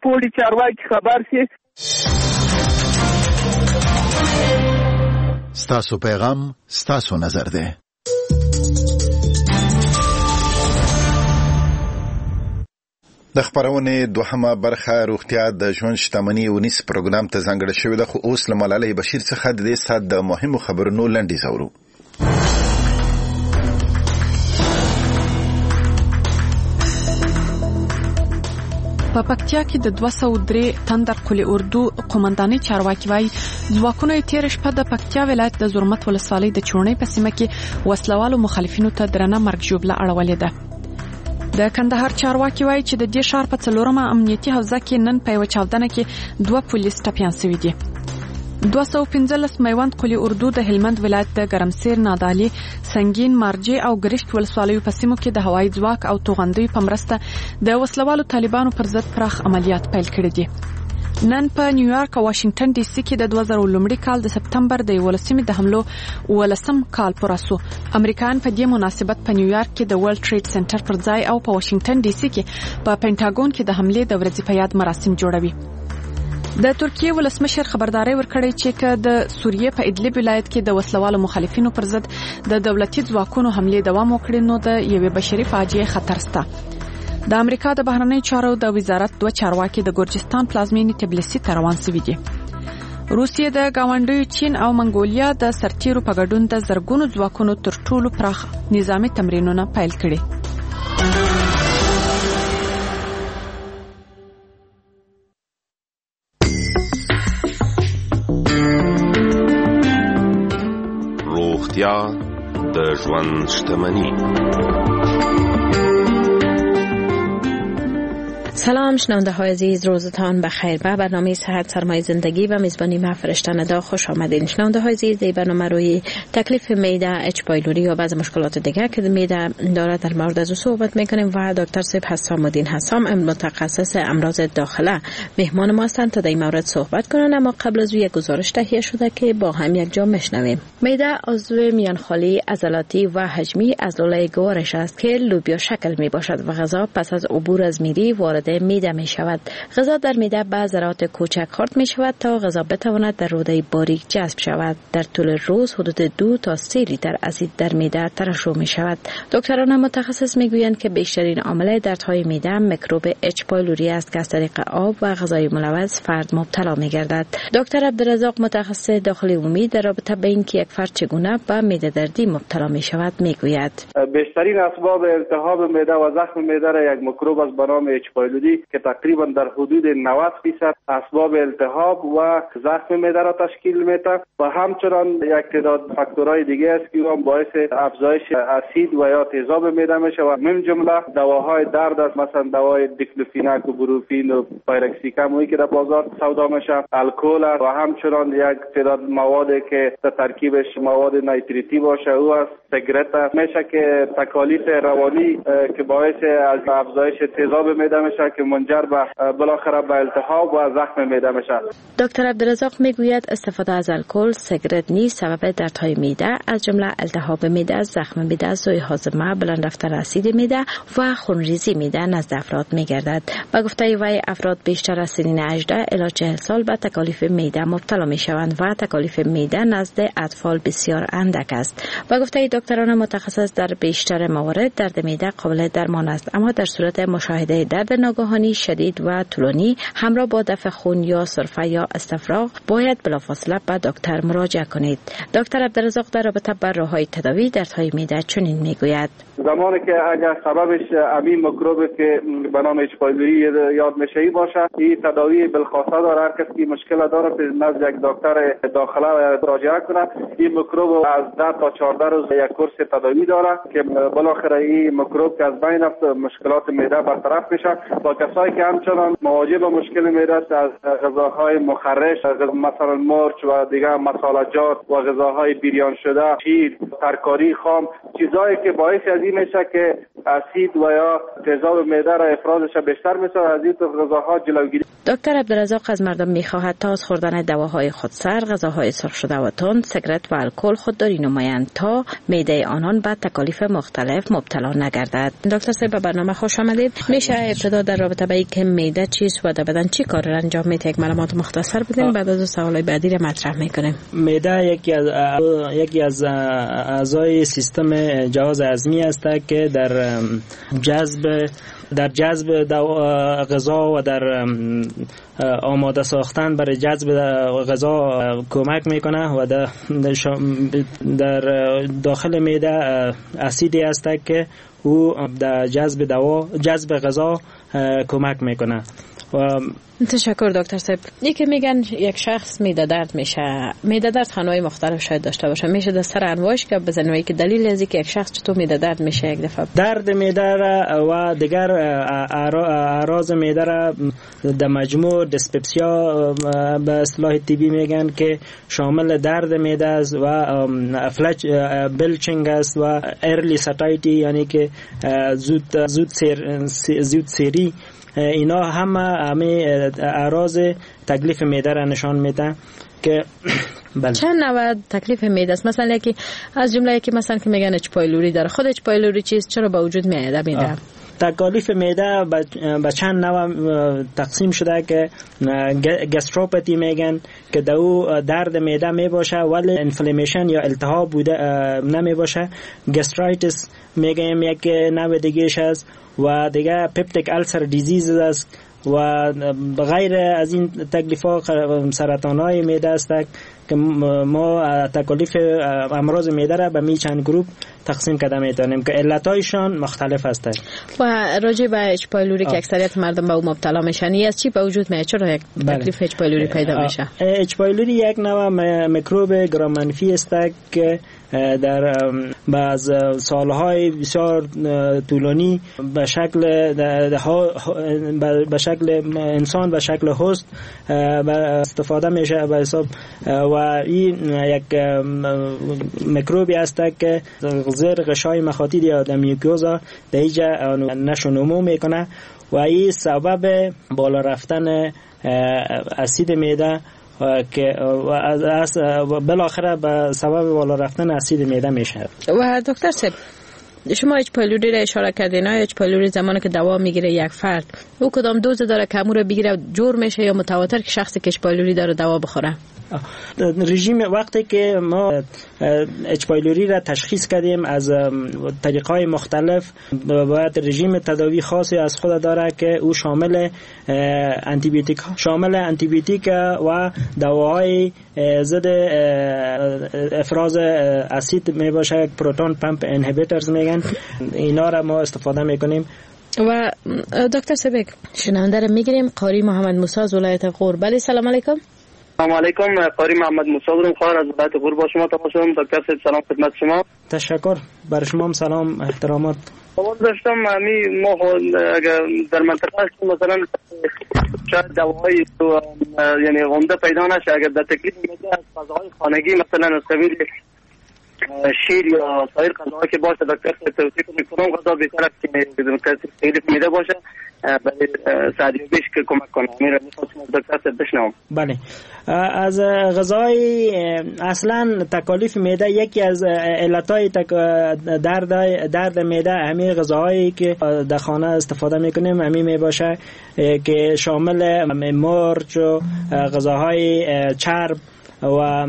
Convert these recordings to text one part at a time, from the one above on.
پوړي چارواکي خبر شي. ستاسو پیغام ستاسو نظر دی. د خبرونې دوهمه برخه روغتیا د ژوند شتمني ونیس پروګرام ته ځانګړې شوې ده، خو اوس له ملالۍ بشیر څخه د دې ساعت د مهمو خبرونو لنډیز اورو. په پکتیا کې د 203 تندر قول اردو قومندانۍ چارواکي وایي ځواکونو یې تېره شپه د پکتیا ولایت د زرمت ولسوالۍ د چوڼۍ په سیمه کې وسلوالو مخالفینو ته درنه مرګ ژوبله اړولې ده. د کندهار چارواکي وایي چې د دې ښار په څلورمه امنیتي حوزه کې نن په یوه چاودنه کې 2 پولیس ټپیان شوي دي. 215 میوند قول اردو د هلمند ولایت د ګرمسیر، نادعلي، سنګین، مارجې او ګرشک ولسوالیو په سیمو کې د هوایي ځواک او توغندیو په مرسته د وسلوالو طالبانو پر ضد پراخ عملیات پیل کړي دي. نن په نیویارک او واشنګټن ډي سي کې د 2001 کال د سپتمبر د 11مې د حملو 18 کال پوره شو. امریکایان په دې مناسبت په نیویارک کې د ورلډ ټریډ سنټر پر ځای او په واشنګټن ډي سي کې په پنټاګون کې د حملې د ورځې په یاد مراسم جوړوي. د ترکیې ولسمشر خبرداری ورکړی چې که د سوریې په ادلب ولایت کې د وسلوالو مخالفینو پر ضد د دولتي ځواکونو حملې دوام وکړي نو د یوې بشري فاجعې خطر شته. د امریکا د بهرنیو چارو د وزارت 2 چارواکي د ګرجستان پلازمینې تبلیسي ته روان شوي دي. روسیې د ګاونډیو چین او منګولیا د سرتیرو په ګډون د زرګونو ځواکونو تر ټولو پراخ نظامي تمرینونه پیل کړي. روغتیا د ژوند شتمني. سلام شنونده های عزیز، روزتان بخیر. به برنامه صحت سرمایه زندگی و میزبانی ما فرشته ندا خوش آمدین. شنونده های عزیز، در برنامه روی تکلیف معده، اچ پایلوری یا بعض مشکلات دیگر که معده داره در مورد از او صحبت میکنیم و دکتر صاحب حسام الدین حسام متخصص امراض داخله مهمان ما هستند تا در این مورد صحبت کنند. اما قبل از او یک گزارش تهیه شده که با هم یک جا میشنویم. معده عضو میان خالی عضلاتی و حجمی از لوله گوارش است که لوبیا شکل می باشد و غذا پس از عبور از میری وارد معده می شود. غذا در معده به ذرات کوچک خرد می شود تا غذا بتواند در روده باریک جذب شود. در طول روز حدود 2 تا 3 لیتر اسید در معده ترشح می شود. دکتران متخصص می گویند که بیشترین عامل دردهای معده میکروب اچ پایلوری است که از طریق آب و غذای ملوث فرد مبتلا می گردد. دکتر عبدالرزاق متخصص داخلی عمومی در رابطه به اینکه یک فرد چگونه به معده دردی مبتلا می شود می گوید: بیشترین اسباب التهاب معده و زخم معده را یک میکروب است به نام اچ پایلوری که تقریبا در حدود 90% اسباب التهاب و زخم معده را تشکیل میده و همچنان یک تعداد فاکتورهای دیگه است که هم باعث افزایش اسید و یا تیزاب معده میشه و من جمله دواهای درد است، مثلا دوای دیکلوفیناک و بروفین و پایرکسیکم و که در بازار سودا میشه، الکل و همچنان یک تعداد مواد که در ترکیبش مواد نایتریتی باشه او است، سیگرت میشه که تکالیف روانی که باعث از افزایش تیزاب معده میشه که منجر به بالاخره به التهاب و زخم معده میشه. دکتر عبدالرزاق میگوید استفاده از الکل، سیگرت نیز سبب دردهای معده از جمله التهاب معده، زخم معده، سوء هاضمه، بلند رفتن اسید معده و خونریزی معده نزد افراد میگردد. به گفته وی افراد بیشتر از سنین 18 الی 40 سال به تکالیف معده مبتلا میشوند و تکالیف معده نزد اطفال بسیار اندک است. به گفته دکتران متخصص در بیشتر موارد درد معده قابل درمان است، اما در صورت مشاهده درد ناگهانی شدید و طولانی همراه با دفع خون یا سرفه یا استفراغ باید بلافاصله به دکتر مراجعه کنید. دکتر عبدالرزاق در رابطه با راه‌های تداوی دردهای معده چنین میگوید: زمانی که اگر سببش همین میکروب که به نام اچ پایلوری یاد میشه باشه، این تداوی بالخاصه داره. هر کسی که مشکل داره به نزد یک دکتر داخله مراجعه کنه. این میکروب از 10 تا 14 روز یک کورس تداوی داره که بالاخره این میکروب که از بین رفت مشکلات معده برطرف میشه. با کسایی که همچنان مواجه با مشکل معده است، از غذاهای مخرش مثلا مرچ و دیگر مصالحات و غذاهای بریان شده، شیر، ترکاری خام، چیزهایی که باعث از ازی میشه که اسید و یا تیزاب معده را افرازش بیشتر میشه، از این غذاها جلوگیری. دکتر عبدالرزاق از مردم میخواهد تا از خوردن دواهای خودسر، غذاهای سرخ شده و تند، سیگرت و الکل خودداری نمایند تا معده آنان به تکالیف مختلف مبتلا نگردد. دکتر صاحب به برنامه خوش آمدید. میشه ابتدا در رابطه با اینکه معده چیست و در بدن چی کار را انجام میده یک معلومات مختصر بدین، بعد از سوالای بعدی را مطرح میکنیم. معده یکی از اعضای سیستم جهاز هضمی است که در جذب غذا و در آماده ساختن برای جذب غذا کمک میکنه و در داخل معده اسیدی است که او در جذب غذا کمک میکنه. تشکر دکتر صاحب. یکی میگن یک شخص معده درد میشه، معده درد انواع مختلف شاید داشته باشه، میشه در سر انواعش که بزنیم که دلیل از اینکه یک شخص چطور معده درد میشه یک دفعه درد معده و دیگر اعراض معده را در مجموع dyspepsia به اصطلاح طبی میگن که شامل درد معده است و افلج belching است و early satiety، یعنی که زود سیری، اینا همه اعراض تکلیف معده را نشان میده که بله. چند نوع تکلیف معده است؟ مثلا یکی از جمله یکی مثلا که میگن H. pylori داره، خود H. pylori چیست، چرا به وجود میاد معده؟ تکالیف معده به چند نوع تقسیم شده که gastropathy میگن که دو درد معده میباشه ولی inflammation یا التهاب بوده نمیباشه. gastritis میگیم یک نوع دیگهش است و دیگه peptic ulcer disease است و غیر از این تکلیف‌ها سرطان‌های معده است که ما تکالیف امراض معده را به می چند گروپ تقسیم کرده میتونیم که علتایشان مختلف هستند. و راجع به H. pylori که اکثریت مردم به او مبتلا میشن، از چی به وجود میاد؟ چرا یک تکلیف H. pylori پیدا میشه؟ H. pylori یک نوع میکروب گرام منفی است که در بعض سالهای بسیار طولانی به شکل انسان به شکل host استفاده میشه به حساب و این یک میکروبی است که زیر غشای مخاطی یا در mucosa در اینجا نشو نمو میکنه و این سبب بالا رفتن اسید معده که بالاخره به سبب بالا رفتن اسید معده میشه. و دکتر صاحب شما H. pylori را اشاره کردین، H. pylori زمانی که دوا میگیره یک فرد او کدام دوز داره که امور بگیره جور میشه یا متواتر که شخصی که H. pylori داره دوا بخوره؟ رژیم وقتی که ما H. pylori را تشخیص کردیم از طریق‌های مختلف باید رژیم تداوی خاصی از خود داره که او شامل انتیبیوتیک و دواهای ضد افراز اسید می باشه، proton pump inhibitors میگن، اینا را ما استفاده میکنیم. و دکتر سبک شنونده را میگیریم، قاری محمد موسی از ولایت غور. بله سلام علیکم. سلام علیکم، قاری محمد موسی بودم، خواهر از ولایت غور با شما تماس شدم. دکتر صاحب سلام خدمت شما. تشکر، بر شما هم سلام احترامات. سوال داشتم همی ما اگر در منطقه هستیم مثلا شاید دواهای یعنی عمده پیدا نشه، اگر در تکلیف میده از غذاهای خانگی مثلا از قبیل شیر یا سایر غذاها که باشه دکتر توصیه کنید کدام غذا بهتر است که تکلیف میده باشه برای سعدیابیش که کمک کنه؟ میرم میخواستم از دکتر بشنوم. بله، از غذای اصلا تکالیف معده یکی از علتهای درد معده همین غذاهایی که در خانه استفاده میکنیم همین میباشه که شامل مرچ و غذاهای چرب و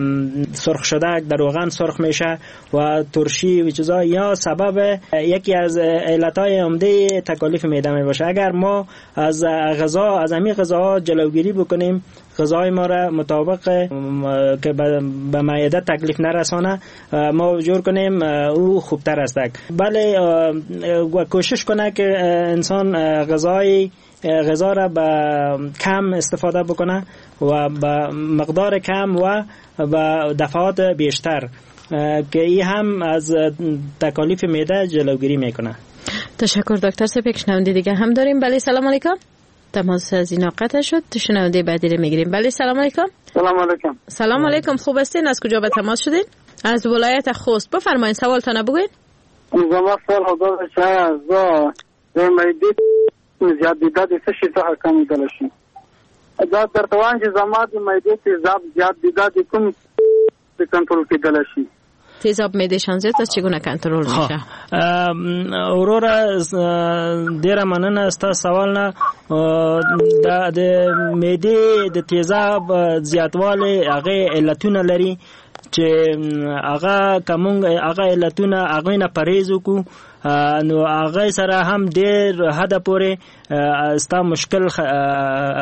سرخ شده در روغن سرخ میشه و ترشی و چیزا، یا سبب یکی از علتهای عمده تکالیف معده میباشه. اگر ما از غذا از همین غذاها جلوگیری بکنیم، غذای ما را مطابق که به معده تکلیف نرسانه ما جور کنیم او خوبتر است. بله، کوشش کنه که انسان غذا را به کم استفاده بکنه و به مقدار کم و به دفعات بیشتر که این هم از تکالیف معده جلوگیری میکنه. تشکر دکتر صاحب. یک شنونده دیگه هم داریم. بله سلام علیکم. تماس از اینا قطع شد. شنونده بعدی رو میگیریم. بله سلام علیکم. سلام علیکم. سلام علیکم، خوب هستین؟ از کجا به تماس شدین؟ از ولایت خوست. بفرمایید سوالتان بگوین. زما سوال خو دا دی چې آیا زه د معدې زیات دی، دا د څه شي څخه کمېدلی شي؟ دا درته وایم چې زما د معدې تیزاب زیات دی، دا د کوم کنترل کېدلی شي؟ تیزاب معدهشان زیات است، چگونه کنترل میشه؟ وروره ډیره مننه ستا سوال نه. د معدې د تیزاب زیاتوالی هغه علتونه لري چې هغه کوم هغه علتونه هغه نه پرهیز وکړو نو هغه سره هم ډیر حد پورې ستا مشکل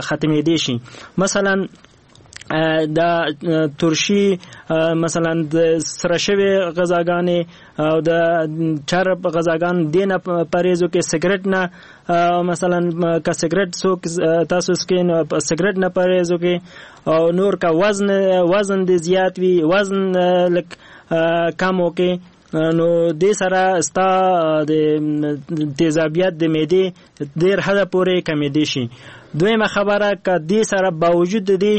ختمېدی شي. مثلا د ترشي، مثلا د سره شوی غذاګانې او د چرب غذاګان دینه پرهیز وکړي، سګرټ نه مثلا که سګرټ څوک تاسو څکئ نو سګرټ نه پرهیز وکړي، او نور که وزن دې زیات وي وزن لږ کم وکړي، نو دې سره ستا د تیزابیت د معدې ډېر حده پورې کمېدی شي. دویمه خبره که دې سره باوجود د دې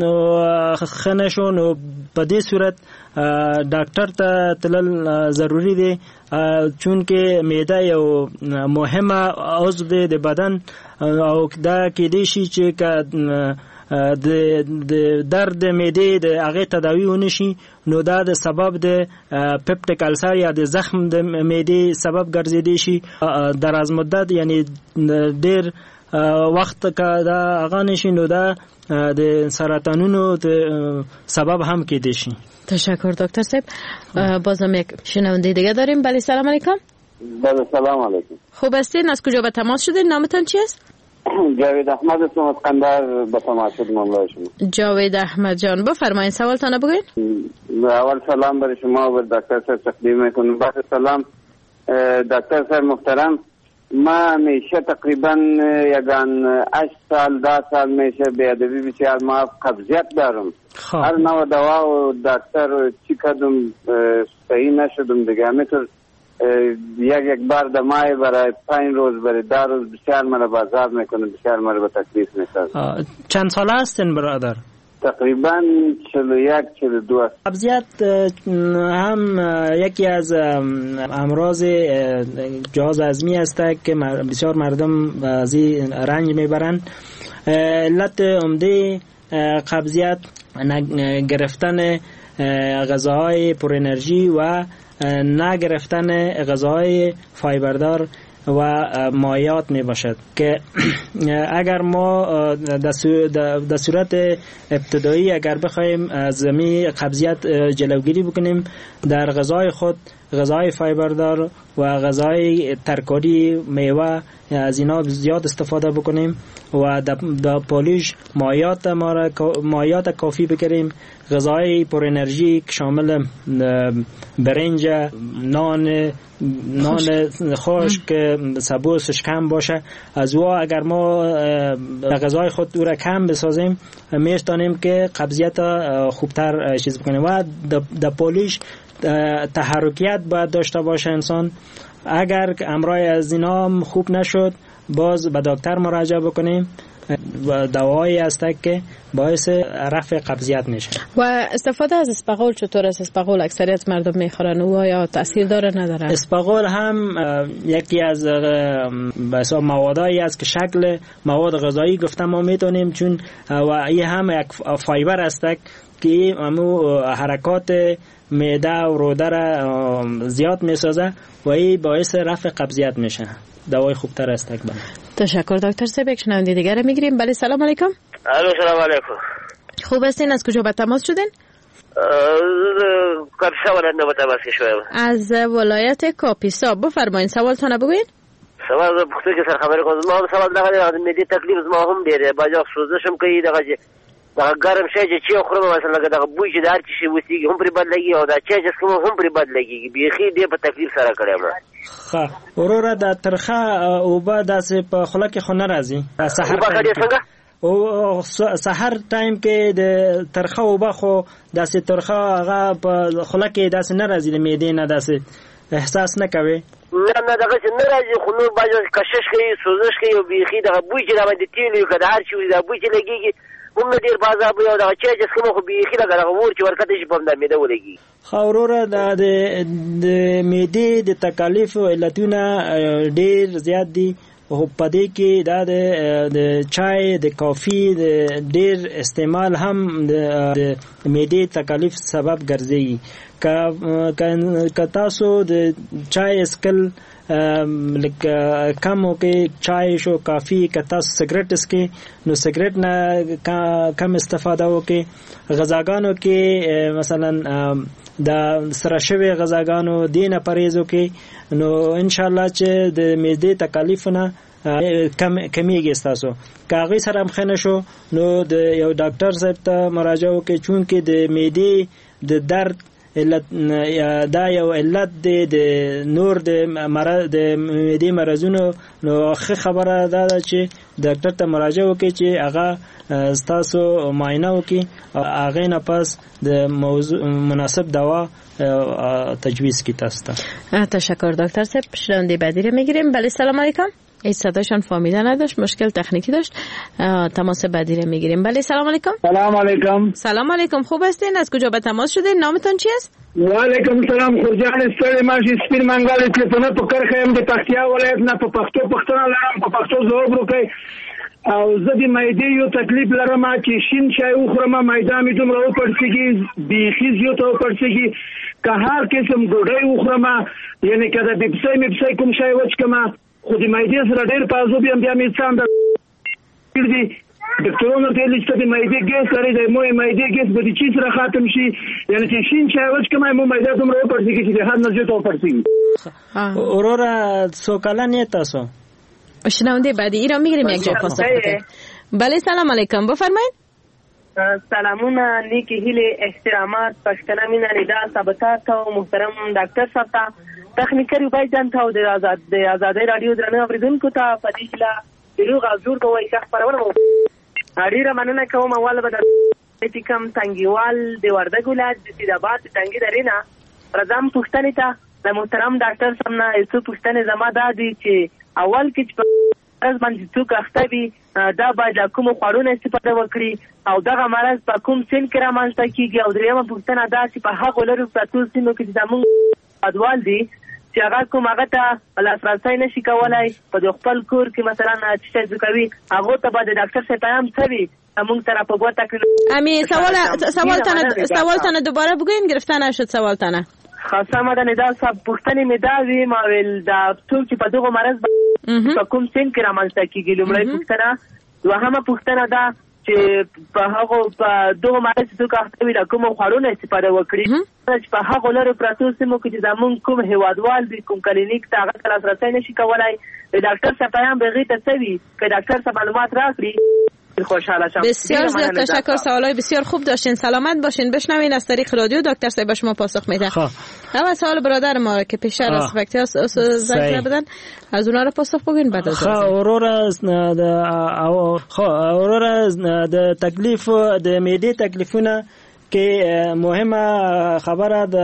نو ښه نه شو نو په دې صورت ډاکټر ته تلل ضروري دی، چونکه معده یو مهمه عضو دی د بدن، او دا کېدای شي چې که د درد معدې د هغې تداوي ونه شي نو دا د سبب د peptic ulcer یا د زخم د معدې سبب ګرځېدی شي. دراز مدت یعنی ډېر وخت که دا هغه نه شي نو دا د سرطانونو د سبب هم کېدی شي. تشکر دکتر صاحب. بازم یک شنونده دیگه داریم. بله سلام علیکم. بله سلام علیکم. خوب هستین؟ از کجا به تماس شدین؟ نامتان چی است؟ جاوید احمد هستم از قندهار به تماس شدم همراه شما. جاوید احمد جان بفرمایید سوالتان بگوین. اول سلام برای شما و دکتر صاحب تقدیم میکنم. بعد سلام دکتر صاحب محترم، ما همیشه تقریبا یگان 8 سال 10 سال میشه بیادبی بسیار ما قبضیت دارم. هر نوع دوا و دکتر چی کدم صحیح نشدم دیگه. همینطور یک بار دمای برای 5 روز برای 10 روز بسیار مرا بازار میکنه، بسیار مرا به تکلیف میسازه. چند ساله هستین برادر؟ تقریبا 41 42. قبضیت هم یکی از امراض جهاز هضمی است که بسیار مردم از این رنج میبرند. علت عمده قبضیت گرفتن غذاهای پر انرژی و نگرفتن غذاهای فایبردار و مایعات می باشد که اگر ما در صورت ابتدایی اگر بخوایم از می قبضیت جلوگیری بکنیم در غذای خود غذای فایبردار و غذای ترکاری میوه از اینا زیاد استفاده بکنیم و در پالیش مایعات ما مایعات کافی بگیریم، غذای پر انرژی که شامل برنج، نان خشک، سبوسش کم باشه، از او اگر ما غذای خود او را کم بسازیم میتونیم که قبضیت خوبتر چیز بکنیم. و در پالیش تحرکیت باید داشته باشه انسان. اگر امرای از اینا خوب نشد باز به دکتر مراجعه بکنیم و دوایی هست که باعث رفع قبضیت میشه. و استفاده از اسپغول چطور است؟ اسپغول اکثریت مردم میخورن، او یا تاثیر داره نداره؟ اسپغول هم یکی از به حساب موادایی است که شکل مواد غذایی گفتم ما میتونیم، چون و این هم یک فایبر است که امو حرکات معده و روده را زیاد میسازه و این باعث رفع قبضیت میشه. دوای خوبتر است. تشکر دکتر صاحب. یک شنونده دیگر میگیریم. بله سلام علیکم. الو سلام علیکم. خوب هستین؟ از کجا به تماس شدین؟ کاپیسا ولایت نه به تماس شدم. از ولایت کاپیسا. بفرمایید سوالتان بگوین. سوال پوښتنه کې سره خبرې کوم. زما هم سوال دغه دی، د معدې تکلیف زما هم ډېر دی، بعضې وخت سوزش هم کوي، دغه چې دغه ګرم شی چې چای خورم مثلا لکه دغه بوی چې د هر څه شي وسیږي هم پرې بد لګي، او دا چای چې څښم هم پرې بد لګېږي، بیخي ډېر په تکلیف سره کړی یم. ښه وروره، دا ترخه اوبه داسې په خوله کې خو نه راځي؟ سحر او سحر ټایم کې د ترخه اوبه خو داسې ترخه هغه په خوله کې داسې نه راځي، د معدې نه داسې احساس نه کوي؟ نه نه، دغسې نه راځي، خو نور بعضې وخت کشش کوي، سوزش کوي، او بیخي دغه بوی چې راباندې تېل وي، که د هر شي وي، دا بوی چې لګېږي هم نه ډېر په عذاب وي، او دغه چای چې څښم خو بیخي لکه دغه اور چې ورکته شي په همدا معده ولګېږي. ښه وروره، دا د معدې د تکالیفو علتونه ډېر زیات دي، خو په دې کې دا د چای، د کافي د ډېر استعمال هم د معدې تکالیف سبب ګرځي. که تاسو د چای څښل لکه کم وکړئ، چای شو، کافي، که تاسو سګرټ څښئ نو سګرټ نه کم استفاده وکړئ. غذاګانو کې مثلا د سره شوی غذاګانو دې نه پرهیز وکړئ، نو ان شاء الله چې د معدې تکالیفونه کمیږي ستاسو. که هغې سره هم ښه نه شو نو د یو ډاکټر صاحب ته مراجعه وکړئ، چونکې د معدې د درد علت دا یو علت دی د نور د مرض، د معدې مرضونو. نو ښه خبره دا ده چې ډاکټر ته مراجعه وکړئ چې هغه ستاسو معاینه وکړي، هغې نه پس د موضوع مناسب دوا تجویز کی تاسو ته. تشکر دکتر صاحب. شنونده بعدی رو میگیریم. بله، سلام علیکم. ای صداشان فامیله نداشت، مشکل تکنیکی داشت. تماس بعدی رو میگیریم. بله، سلام علیکم. سلام علیکم. سلام علیکم، خوب هستین؟ از کجا به تماس شده؟ نامتون چی است؟ و علیکم سلام. خورجان ستړی ماشي، سپین منګل تلیفونه په کرښه یم د پکتیا ولایت نه، په پښتو پښتنه لرم، په پښتو ځواب وکړئ. او زه د معدې یو تکلیف لرم چې شین چای وخورم معده مې دومره وپړسېږي، بیخي زیاته وپړسېږي. که هر قسم ډوډۍ وخورم، یعنې که د بپسۍ مپسۍ کوم شی وڅښم، خو د معدې سره ډېر په عذاب یم، بیا مې څنګه دي ډاکټرانو ورته ویلي چې ته د معدې ګیس لرې، د مو معدې ګیس به د چی سره ختم شي، یعنې چې شین چای وڅښم مو معده دومره وپړسېږي چې د حد نه زیاته وپړسېږي. وروره څو کلن یې تاسو؟ شنونده بعدی ایران میگیریم یک جا پاسخ بده. بله، سلام علیکم، بفرمایید. سلامونه، نیکی هیلې، احترامات، پښتنه مینه، ندا صاحب ته او محترم ډاکټر صاحب ته، تخنیکر عبید جان ته او د ازادۍ راډیو درنو اورېدونکو ته په دې هیله چې روغ او جوړ به وئ. ښه خپرونه مو ډېره مننه کوم. اول به د کوم تنګیوال د وردګ ولایت د سیدآباد د تنګي درې نه راځم پوښتنې ته. د محترم ډاکټر صاحب نه یو څو پوښتنې زما دا دي چې اول کې چې په مرض باندې څوک اخته وي دا باید له کومو خوړو نه استفاده وکړي او دغه مرض په کوم سن کې رامنځته کېږي؟ او درېیمه پوښتنه دا چې په هغو لرو پرتو سیمو کې چې زموږ هېوادوال دي چې هغه کوم هغه ته لاسرسی نه شي کولی، په د خپل کور کې مثلا چې شی کوي، هغو ته به د ډاکټر صاحب پیام څه وي مونږ ته را په ګوته کړي؟ امی سوالتان دوباره بگوین، گرفته نشد سوالتان. ښه سمه ده ندا صاحب، پوښتنې مې دا وي، ما ویل دا څوک چې په دغه مرض په کوم سن کې رامنځته کېږي، لومړۍ پوښتنه. دوهمه پوښتنه دا چې په هغو په دغه مرض چې څوک اخته وي له کومو خوړو نه استفاده وکړي، چې په هغو لرو پرتو سیمو کې چې زموږ کوم هېوادوال دي کوم کلینیک ته هغه ته لاسرسی نه شي کولی، د ډاکټر صاحب پیام به هغې ته څه وي که ډاکټر صاحب معلومات راکړي خوشحال شم. بسیار زیاد تشکر، سوالای بسیار خوب داشتین، سلامت باشین. بشنوین از طریق رادیو دکتر صاحب به شما پاسخ میده. اول سوال برادر ما که پیشتر از پکتیا زنگ زدن از اونها رو پاسخ بگین بعد از وروره د تکلیف د معدې تکلیفونه کې مهمه خبره د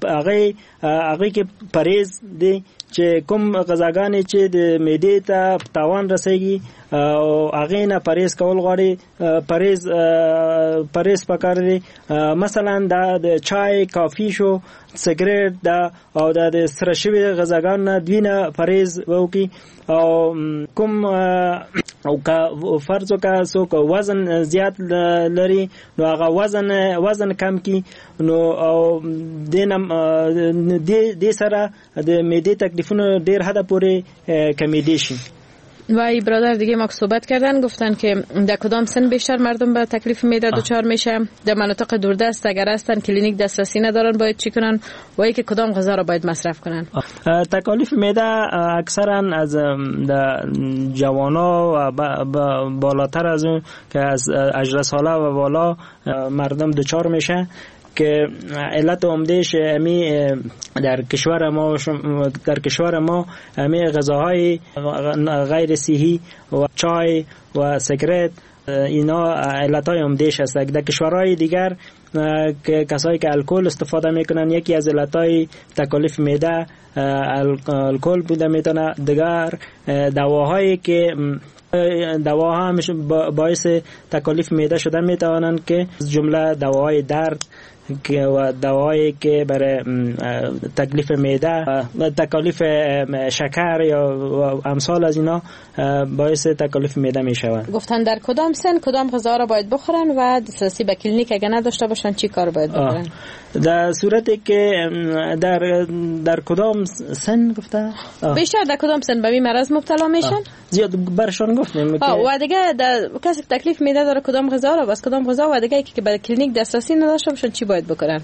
هغه کې پرهیز دی چې کوم غذاګانې چې د معدې ته تاوان رسیږي او هغې نه پرهیز کول غواړي، پرهیز پکار دی. مثلا دا د چای، کافي شو، سګرټ دا او دا د سره شوي غذاګانو نه دوی نه پرهیز وکړي. او کوم او که فرض وکړه څوک وزن زیات لري نو هغه وزن کم کړي، نو او دې سره د معدې تکلیفونو ډیر حد پورې کمیدی شي. و ای برادر دیگه ما که صحبت کردن گفتن که در کدام سن بیشتر مردم به تکلیف معده دچار میشه، در مناطق دوردست اگر هستن کلینیک دسترسی ندارن باید چی کنن و ای که کدام غذا را باید مصرف کنن؟ تکالیف معده اکثرا از جوانا و بالاتر از اون که از 18 ساله و بالا مردم دچار میشه که علت عمدهش امی در کشور ما امی غذاهای غیر صحی و چای و سیگرت اینا علتهای عمدهش است. در کشورهای دیگر که کسایی که الکل استفاده میکنن یکی از علتهای تکالیف معده الکل بوده میتونه. دیگر دواهایی که دواها هم باعث تکالیف معده شده میتوانند که از جمله دواهای درد و دواهایی که برای تکلیف معده و تکالیف شکر یا امثال از اینا باعث تکالیف معده می شوند. گفتن در کدام سن کدام غذا را باید بخورن و دسترسی به کلینیک اگه نداشته باشن چی کار باید بکنن؟ در صورتی که در کدام سن گفته؟ بیشتر در کدام سن به این مرض مبتلا میشن؟ زیاد برشان گفتیم که و دیگه در کسی که تکلیف معده داره کدام غذا را بس کدام غذا و دیگه که به کلینیک دسترسی نداشته باشن چی باید بکنن؟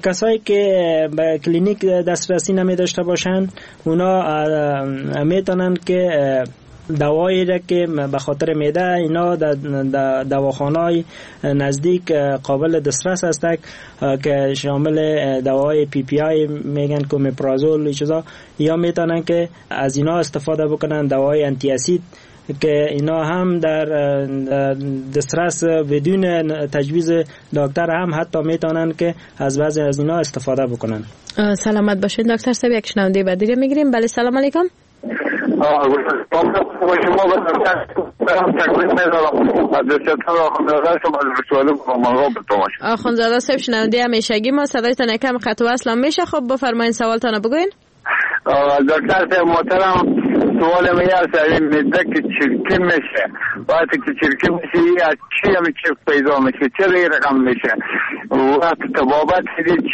کسایی که به کلینیک دسترسی نمی داشته باشن اونا میتونن که دوایی را که به خاطر معده اینا در دواخانه‌های نزدیک قابل دسترس است که شامل دوای PPI میگن که اومپرازول چیزا، یا میتونن که از اینا استفاده بکنن، دوای anti acid که اینا هم در دسترس بدون تجویز دکتر هم حتی میتونن که از بعضی از اینا استفاده بکنن. سلامت باشین دکتر صاحب. یک شنونده بعدی رو میگیریم. بله سلام علیکم. آخوندزاده صاحب شنونده همیشگی ما، صدایتان یکم قطع و وصل میشه. خب بفرمایین سوالتان بگوین. دکتر صاحب محترم، سوال من است این معده که چرکی میشه، وقتی که چرکی میشه از چی هم چرک پیدا میشه، چرا این رقم میشه، وقت طبابت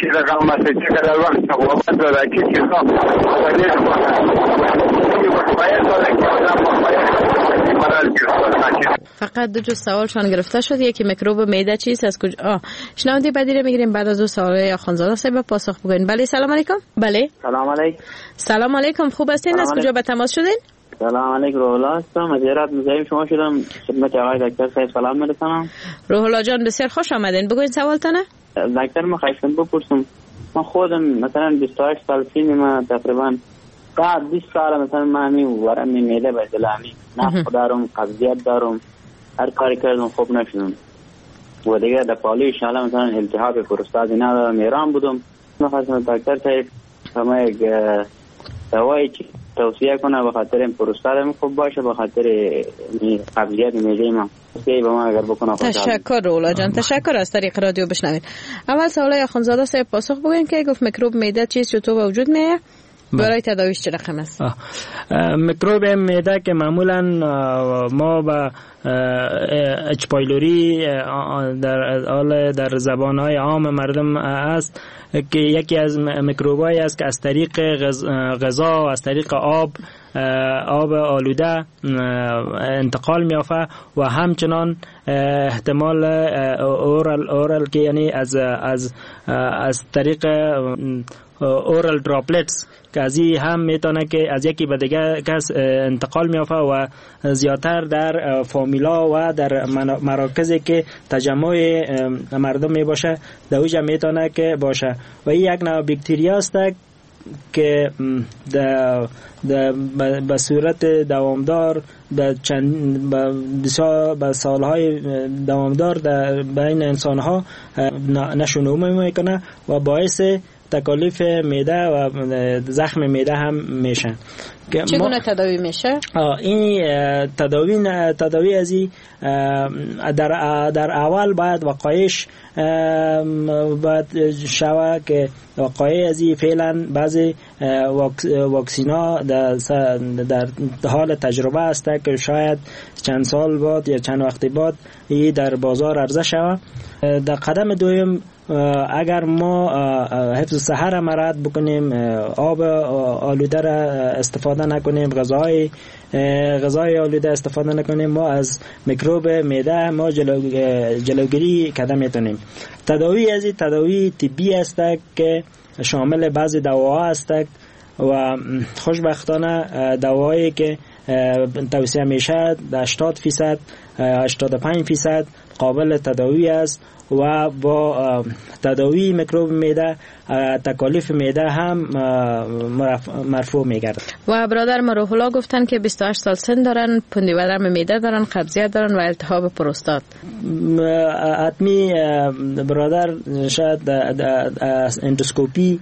چی رقم است، چقدر وقت طبابت داره، چه چیزا فقط دو جز سوالشان گرفته شد، یکی میکروب معده چیست از کجا. شنونده بعدی رو میگیریم بعد از اون سوال آخوندزاده صاحب پاسخ بگوین. بله سلام علیکم. بله سلام علیکم. سلام علیکم، خوب هستین؟ از کجا به تماس شدین؟ سلام علیکم، روح الله هستم از هرات. مزاحم شما شدم، خدمت آقای دکتر صاحب سلام میرسانم. روح الله جان بسیار خوش آمدین، بگوین سوالتان. دکتر ما خواستم بپرسم، من خودم مثلا 28 سال سن ما، تقریبا بعد 20 سال مثلا من همین ورم معده به دلامی نفخ دارم، قبضیت دارم، هر کاری کردم خوب نشدم و دیگه در پالوی شاله مثلا التهاب پروستات ندارم، ایران بودم. من خواستم دکتر صاحب ما یک دوایی توصیه کنه به خاطر این پروستات خوب باشه، به خاطر قبضیت معده ما. تشکر رولا جان، تشکر. از طریق رادیو بشنوید. اول سوال آخوندزاده صاحب پاسخ بگوین که گفت میکروب معده چیست، چطور به وجود میاد، برای تداویش چه رقم است؟ میکروب معده که معمولا ما به H. pylori در زبان‌های عام مردم است که یکی از میکروب‌هایی است که از طریق غذا و از طریق آب آلوده انتقال می‌یافت و همچنان احتمال oral که یعنی از از از طریق oral droplets که از این هم میتونه که از یکی به دیگه کس انتقال میافه و زیادتر در فامیلا و در مراکزی که تجمع مردم میباشه در اوجا میتونه که باشه و این یک نوع باکتریا است که به صورت دوامدار به سالهای دوامدار در بین انسانها نشونما میکنه و باعث تکالیف معده و زخم معده هم میشن. چگونه تداوی میشه؟ این تداوی از این در اول باید وقایش باید شوه که وقایع از این فعلا بعضی واکسینا در حال تجربه است که شاید چند سال بعد یا چند وقت بعد این در بازار عرضه شوه. در قدم دوم اگر ما حفظ صحه را مراعات بکنیم، آب آلوده را استفاده نکنیم، غذای آلوده استفاده نکنیم، ما از میکروب معده ما جلوگیری کرده میتونیم. تداوی از این تداوی طبی است که شامل بعضی دواها است و خوشبختانه دواهایی که توصیه میشه 80% 85% قابل تداوی است و با تداوی میکروب معده تکالیف معده هم مرفوع میگردد. و برادر ما روح الله گفتن که 28 سال سن دارن، پندی ورم معده دارن، قبضیت دارن و التهاب پروستات. حتمی برادر شاید اندوسکوپی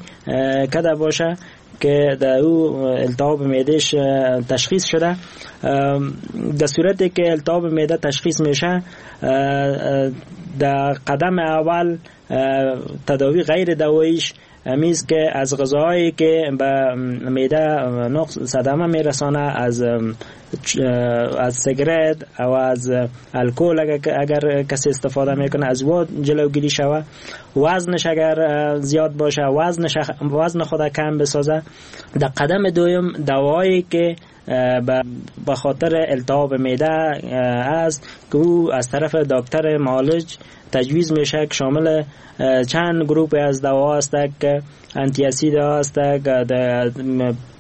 کده باشه که در او التهاب معدهش تشخیص شده. در صورتی که التهاب معده تشخیص میشه، در قدم اول تداوی غیر دواییش همیز که از غذاهایی که به معده نقص صدمه میرسانه، از سیگرت او از الکل اگر کسی استفاده میکنه از او جلوگیری شوه، وزنش اگر زیاد باشه وزن خود کم بسازه. در قدم دوم دوایی که به خاطر التهاب معده است که او از طرف دکتر معالج تجویز میشه که شامل چند گروپ از دوا است که anti acid است،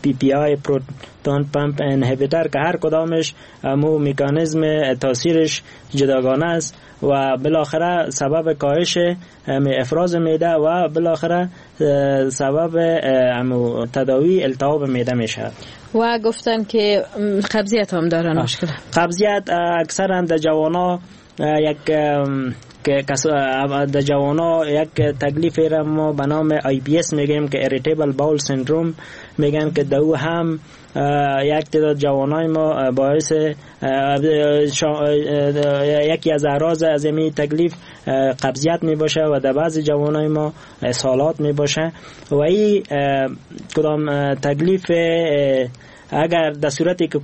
PPI proton pump inhibitor، که هر کدامش مو مکانیزم تاثیرش جداگانه است و بالاخره سبب کاهش افراز معده و بالاخره سبب تداوی التهاب معده میشه. و گفتن که قبضیت هم دارن مشکل. قبضیت اکثرا در جوانا یک در جوانا یک تکلیف را ما به نام IBS میگیم که irritable bowel syndrome میگن، که دو هم یک تعداد جوانای ما باعث یکی از اعراض از این تکلیف قبضیت می باشه و در بعضی جوانای ما اسهالات می باشه و این کدام تکلیف اگر در صورتی که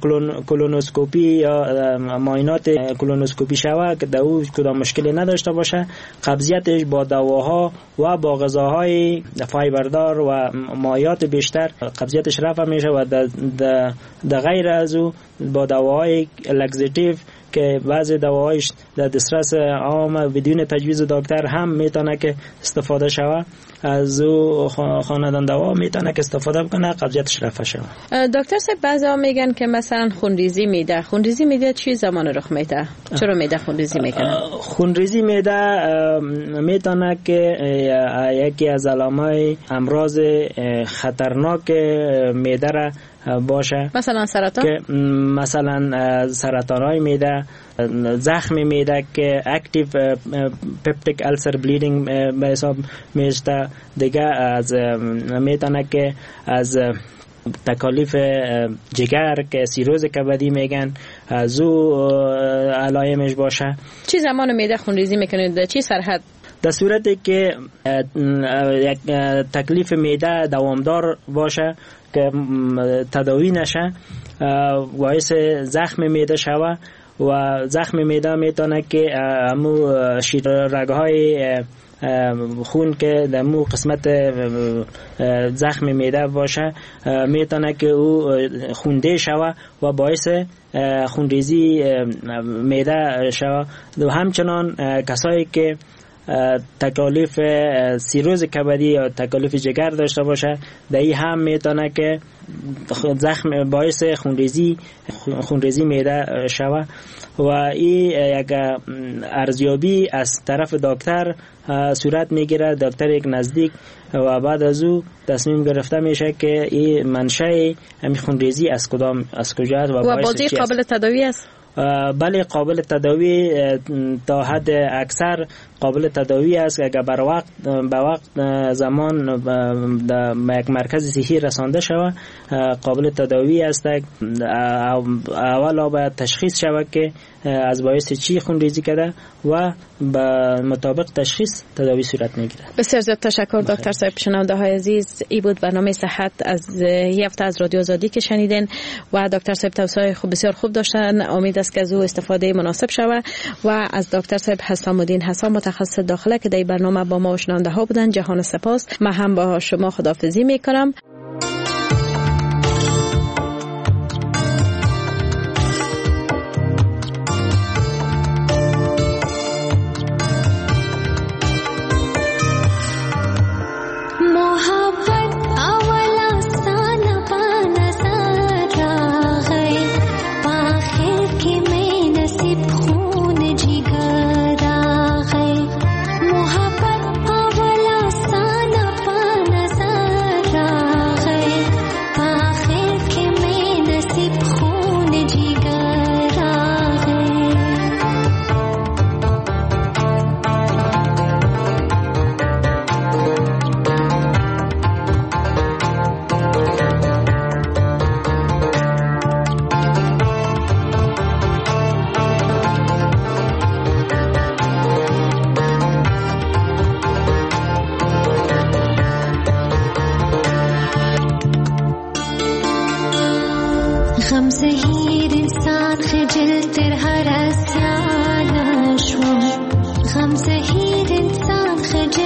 کولونوسکوپی یا معاینات کولونوسکوپی شود که در او کدام مشکلی نداشته باشه، قبضیتش با دواها و با غذاهای فایبردار و مایعات بیشتر قبضیتش رفع میشه و در غیر از او با دواهای laxative که بعضی دواهایش در دسترس عام بدون تجویز دکتر هم میتونه که استفاده شود، از او خاندان دوا میتونه که استفاده بکنه قبضیتش رفع شود. دکتر صاحب بعضی میگن که مثلا خونریزی میده، خونریزی میده چی زمان رخ میده؟ چرا میده خونریزی میکنه؟ خونریزی میده میتونه که یکی از علامای امراض خطرناک معده را باشه، مثلا سرطان، که مثلا سرطان های معده، زخم معده که active peptic ulcer bleeding به حساب میشه، دیگه از میتونه که از تکالیف جگر که سیروز کبدی میگن از او علائمش باشه. چی زمان معده خونریزی میکنه؟ در چی سرحد؟ در صورتی که یک تکلیف معده دوامدار باشه که تداوی نشه، باعث زخم معده شوه و زخم معده میتونه که امو رگ‌های خون که در مو قسمت زخم معده باشه میتونه که او خونده شوه و باعث خونریزی معده شوه. و همچنان کسایی که تکالیف سیروز کبدی یا تکالیف جگر داشته باشه، در این هم میتونه که زخم باعث خونریزی معده شوه و این یک ارزیابی از طرف دکتر صورت میگیره، دکتر یک نزدیک، و بعد از او تصمیم گرفته میشه که این منشأ همین خونریزی از کدام از کجا است و بازی قابل تداوی است. بله، قابل تداوی تا حد اکثر قابل تداوی است اگر بر وقت به وقت زمان در یک مرکز صحی رسانده شود قابل تداوی است. اول باید تشخیص شود که از باعث چی خونریزی کرده و به مطابق تشخیص تداوی صورت میگیره. بسیار زیاد تشکر دکتر صاحب. شنونده های عزیز، ای بود برنامه صحت از یه هفته از رادیو آزادی که شنیدین و دکتر صاحب توصیه خوب بسیار خوب داشتن. امید است که از او استفاده مناسب شود و از دکتر صاحب حسام الدین حسام متخصص داخله که در برنامه با ما و شنونده ها بودن جهان سپاس. من هم با شما خداحافظی میکنم. هم زهیر انسان خجل.